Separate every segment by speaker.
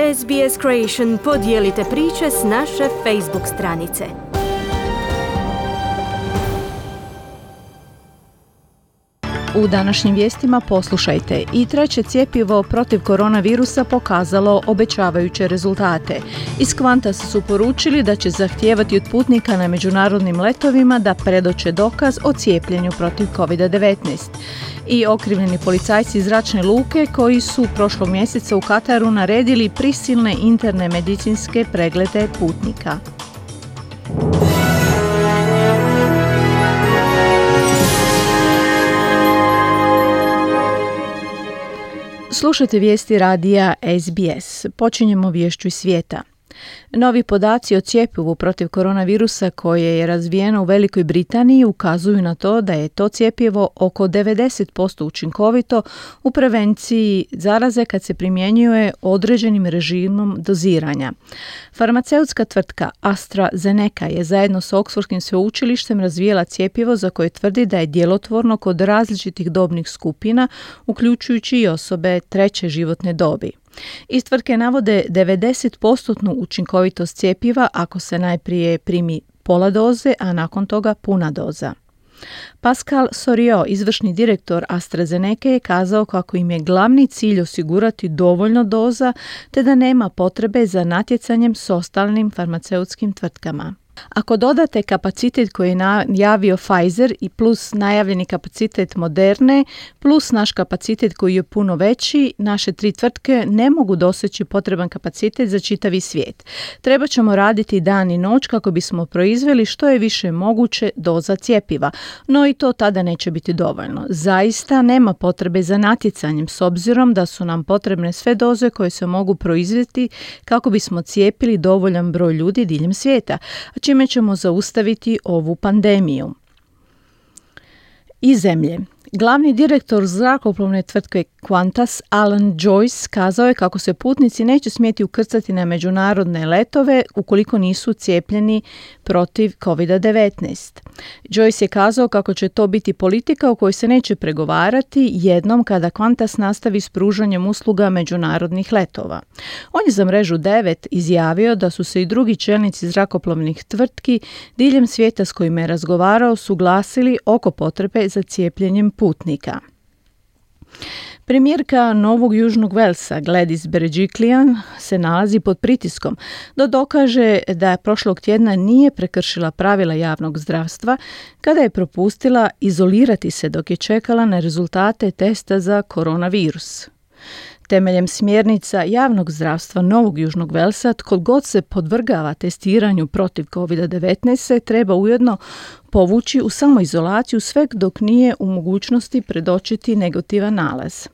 Speaker 1: SBS Creation podijelite priče s naše Facebook stranice.
Speaker 2: U današnjim vijestima poslušajte: i treće cjepivo protiv koronavirusa pokazalo obećavajuće rezultate. Iz Qantas su poručili da će zahtijevati od putnika na međunarodnim letovima da predoče dokaz o cijepljenju protiv COVID-19. I okrivljeni policajci iz zračne luke koji su prošlog mjeseca u Kataru naredili prisilne interne medicinske preglede putnika. Slušajte vijesti radija SBS. Počinjemo viješću iz svijeta. Novi podaci o cjepivu protiv koronavirusa koje je razvijeno u Velikoj Britaniji ukazuju na to da je to cjepivo oko 90% učinkovito u prevenciji zaraze kad se primjenjuje određenim režimom doziranja. Farmaceutska tvrtka AstraZeneca je zajedno s Oxfordskim sveučilištem razvijela cjepivo za koje tvrdi da je djelotvorno kod različitih dobnih skupina, uključujući i osobe treće životne dobi. Iz tvrtke navode 90% učinkovitost cjepiva ako se najprije primi pola doze, a nakon toga puna doza. Pascal Soriot, izvršni direktor AstraZeneca, je kazao kako im je glavni cilj osigurati dovoljno doza te da nema potrebe za natjecanjem s ostalim farmaceutskim tvrtkama. Ako dodate kapacitet koji je najavio Pfizer i plus najavljeni kapacitet Moderne, plus naš kapacitet koji je puno veći, naše tri tvrtke ne mogu doseći potreban kapacitet za čitavi svijet. Treba ćemo raditi dan i noć kako bismo proizveli što je više moguće doza cjepiva, no i to tada neće biti dovoljno. Zaista nema potrebe za natjecanjem s obzirom da su nam potrebne sve doze koje se mogu proizvesti kako bismo cijepili dovoljan broj ljudi diljem svijeta, čime ćemo zaustaviti ovu pandemiju. Iz zemlje. Glavni direktor zrakoplovne tvrtke Qantas, Alan Joyce, kazao je kako se putnici neće smjeti ukrcati na međunarodne letove ukoliko nisu cijepljeni protiv COVID-19. Joyce je kazao kako će to biti politika u kojoj se neće pregovarati jednom kada Qantas nastavi s pružanjem usluga međunarodnih letova. On je za mrežu 9 izjavio da su se i drugi čelnici zrakoplovnih tvrtki diljem svijeta s kojima je razgovarao suglasili oko potrebe za cijepljenjem putnika. Premijerka Novog Južnog Velsa Gladys Berejiklian se nalazi pod pritiskom da dokaže da prošlog tjedna nije prekršila pravila javnog zdravstva kada je propustila izolirati se dok je čekala na rezultate testa za koronavirus. Temeljem smjernica javnog zdravstva Novog Južnog Velsa, tko god se podvrgava testiranju protiv COVID-19 se treba ujedno povući u samoizolaciju sve dok nije u mogućnosti predočiti negativan nalaz.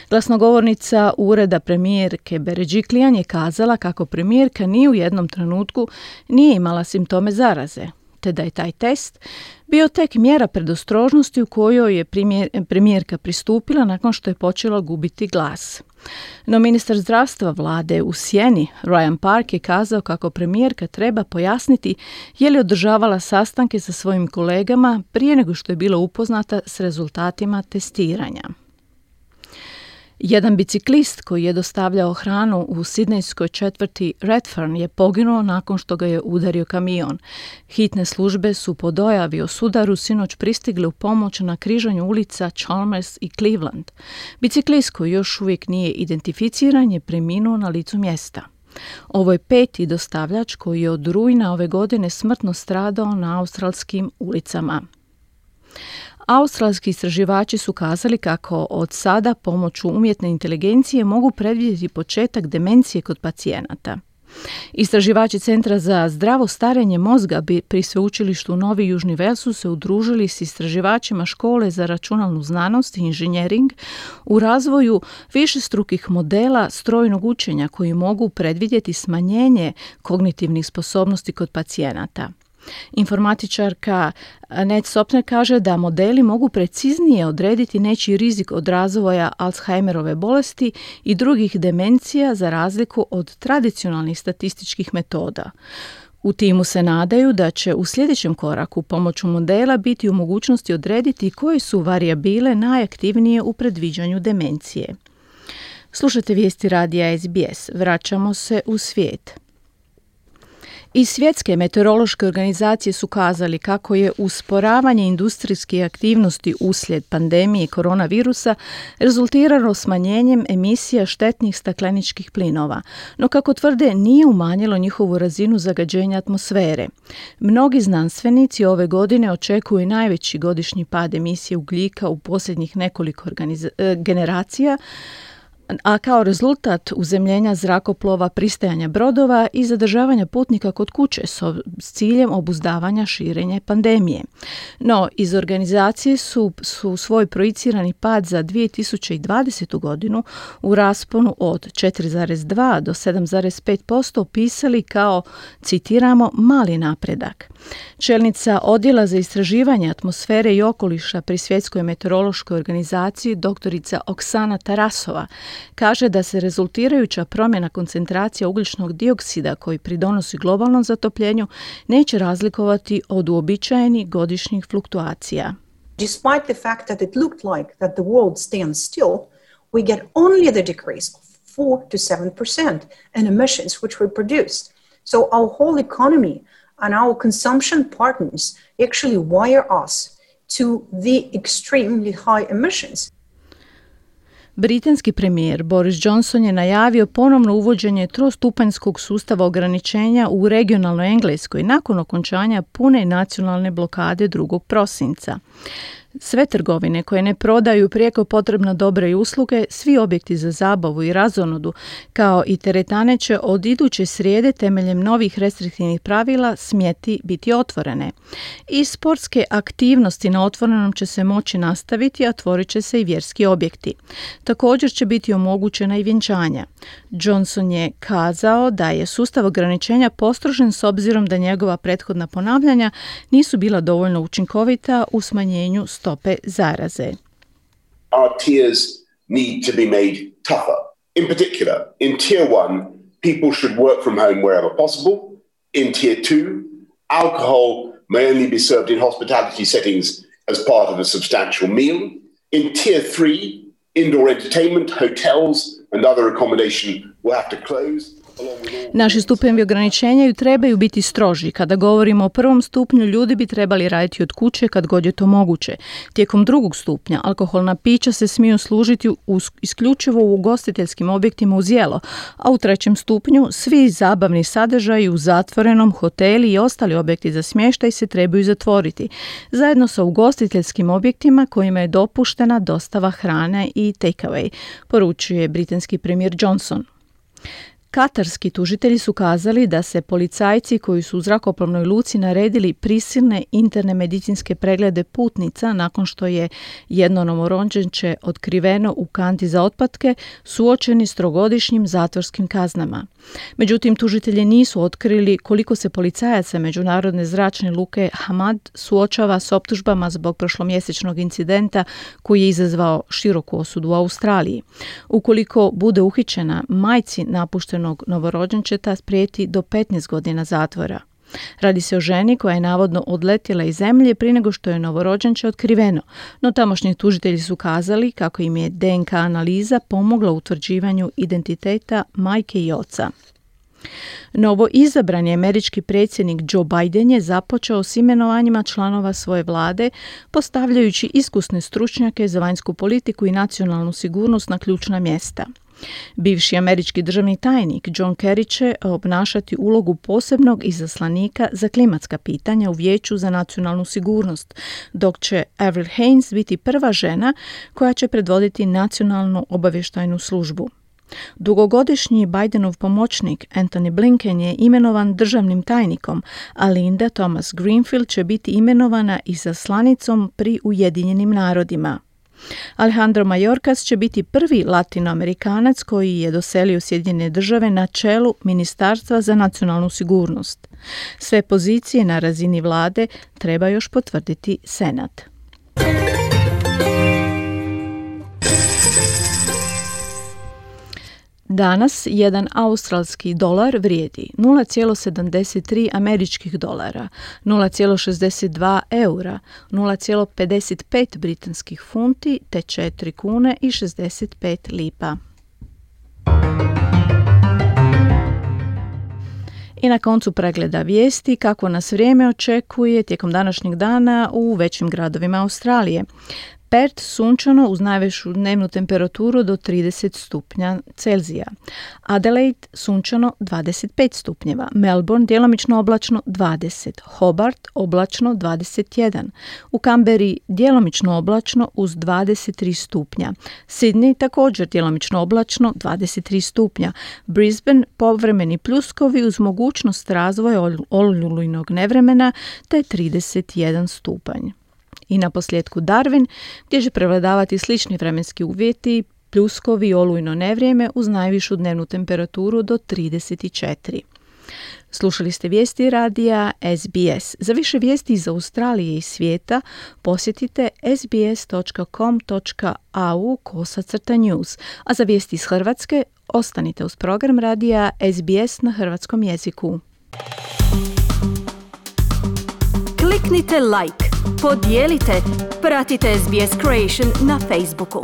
Speaker 2: Glasnogovornica ureda premijerke Berejiklian je kazala kako premijerka ni u jednom trenutku nije imala simptome zaraze, te da je taj test bio tek mjera predostrožnosti u kojoj je premijerka pristupila nakon što je počela gubiti glas. No ministar zdravstva vlade u sjeni, Ryan Park, je kazao kako premijerka treba pojasniti je li održavala sastanke sa svojim kolegama prije nego što je bila upoznata s rezultatima testiranja. Jedan biciklist koji je dostavljao hranu u sidnejskoj četvrti Redfern je poginuo nakon što ga je udario kamion. Hitne službe su po dojavi o sudaru sinoć pristigle u pomoć na križanju ulica Chalmers i Cleveland. Biciklist koji još uvijek nije identificiran je preminuo na licu mjesta. Ovo je peti dostavljač koji je od rujna ove godine smrtno stradao na australskim ulicama. Australski istraživači su kazali kako od sada pomoću umjetne inteligencije mogu predvidjeti početak demencije kod pacijenata. Istraživači Centra za zdravo starenje mozga pri sveučilištu Novi Južni Vels su se udružili s istraživačima škole za računalnu znanost i inženjering u razvoju višestrukih modela strojnog učenja koji mogu predvidjeti smanjenje kognitivnih sposobnosti kod pacijenata. Informatičarka Ned Sopner kaže da modeli mogu preciznije odrediti nečiji rizik od razvoja Alzheimerove bolesti i drugih demencija za razliku od tradicionalnih statističkih metoda. U timu se nadaju da će u sljedećem koraku pomoću modela biti u mogućnosti odrediti koje su varijabile najaktivnije u predviđanju demencije. Slušate vijesti radija SBS. Vraćamo se u svijet. Iz Svjetske meteorološke organizacije su kazali kako je usporavanje industrijske aktivnosti uslijed pandemije koronavirusa rezultiralo smanjenjem emisija štetnih stakleničkih plinova, no kako tvrde nije umanjilo njihovu razinu zagađenja atmosfere. Mnogi znanstvenici ove godine očekuju najveći godišnji pad emisije ugljika u posljednjih nekoliko generacija, a kao rezultat uzemljenja zrakoplova, pristajanja brodova i zadržavanja putnika kod kuće s ciljem obuzdavanja širenja pandemije. No, iz organizacije su svoj projicirani pad za 2020. godinu u rasponu od 4,2 do 7,5% opisali kao, citiramo, mali napredak. Čelnica Odjela za istraživanje atmosfere i okoliša pri Svjetskoj meteorološkoj organizaciji, doktorica Oksana Tarasova, kaže da se rezultirajuća promjena koncentracija ugljičnog dioksida koji pridonosi globalnom zatopljenju neće razlikovati od uobičajenih godišnjih fluktuacija.
Speaker 3: Despite the fact that it looked like that the world stands still, we get only the decrease of 4 to 7% in emissions which we produced. So our whole economy and our consumption patterns actually wire us to the extremely high emissions.
Speaker 2: Britanski premijer Boris Johnson je najavio ponovno uvođenje trostupanjskog sustava ograničenja u regionalnoj Engleskoj nakon okončanja pune nacionalne blokade 2. prosinca. Sve trgovine koje ne prodaju prijeko potrebna dobra i usluge, svi objekti za zabavu i razonodu, kao i teretane će od iduće srijede temeljem novih restriktivnih pravila smjeti biti otvorene. I sportske aktivnosti na otvorenom će se moći nastaviti, a otvorit će se i vjerski objekti. Također će biti omogućena i vjenčanja. Johnson je kazao da je sustav ograničenja postrožen s obzirom da njegova prethodna ponavljanja nisu bila dovoljno učinkovita u smanjenju stope zaraze.
Speaker 4: Our tiers need to be made tougher. In particular, in tier 1, people should work from home wherever possible. In tier 2, alcohol may only be served in hospitality settings as part of a substantial meal. In tier 3, indoor entertainment, hotels and other accommodation will have to close.
Speaker 2: Naši stupnjevi ograničenja trebaju biti stroži. Kada govorimo o prvom stupnju, ljudi bi trebali raditi od kuće kad god je to moguće. Tijekom 2. stupnja alkoholna pića se smiju služiti isključivo u ugostiteljskim objektima uz jelo, a u 3. stupnju svi zabavni sadržaji u zatvorenom, hoteli i ostali objekti za smještaj se trebaju zatvoriti, zajedno sa ugostiteljskim objektima kojima je dopuštena dostava hrane i take-away, poručuje britanski premijer Johnson. Katarski tužitelji su kazali da se policajci koji su u zrakoplovnoj luci naredili prisilne interne medicinske preglede putnica nakon što je jedno novorođenče otkriveno u kanti za otpatke suočeni s 3-godišnjim zatvorskim kaznama. Međutim, tužitelji nisu otkrili koliko se policajaca međunarodne zračne luke Hamad suočava s optužbama zbog prošlomjesečnog incidenta koji je izazvao široku osudu u Australiji. Ukoliko bude uhićena, majci napuštenog novorođenčeta prijeti do 15 godina zatvora. Radi se o ženi koja je navodno odletjela iz zemlje prije nego što je novorođenče otkriveno, no tamošnji tužitelji su kazali kako im je DNK analiza pomogla u utvrđivanju identiteta majke i oca. Novo izabrani američki predsjednik Joe Biden je započeo s imenovanjima članova svoje vlade, postavljajući iskusne stručnjake za vanjsku politiku i nacionalnu sigurnost na ključna mjesta. Bivši američki državni tajnik John Kerry će obnašati ulogu posebnog izaslanika za klimatska pitanja u Vijeću za nacionalnu sigurnost, dok će Avril Haines biti prva žena koja će predvoditi nacionalnu obavještajnu službu. Dugogodišnji Bidenov pomoćnik Antony Blinken je imenovan državnim tajnikom, a Linda Thomas Greenfield će biti imenovana izaslanicom pri Ujedinjenim narodima. Alejandro Mayorkas će biti prvi latinoamerikanac koji je doselio Sjedinjene države na čelu Ministarstva za nacionalnu sigurnost. Sve pozicije na razini vlade treba još potvrditi Senat. Danas jedan australski dolar vrijedi 0,73 američkih dolara, 0,62 eura, 0,55 britanskih funti te 4 kune i 65 lipa. I na koncu pregleda vijesti kako nas vrijeme očekuje tijekom današnjeg dana u većim gradovima Australije. Perth sunčano uz najvišu dnevnu temperaturu do 30 stupnja Celzija. Adelaide sunčano 25 stupnjeva. Melbourne djelomično oblačno 20. Hobart oblačno 21. U Canberri djelomično oblačno uz 23 stupnja. Sydney također djelomično oblačno 23 stupnja. Brisbane povremeni pljuskovi uz mogućnost razvoja olujnog nevremena te 31 stupanj. I na posljedku Darwin, gdje će prevladavati slični vremenski uvjeti, pljuskovi i olujno nevrijeme uz najvišu dnevnu temperaturu do 34. Slušali ste vijesti radija SBS. Za više vijesti iz Australije i svijeta posjetite sbs.com.au/news, a za vijesti iz Hrvatske ostanite uz program radija SBS na hrvatskom jeziku.
Speaker 1: Kliknite like, podijelite, pratite SBS Creation na Facebooku.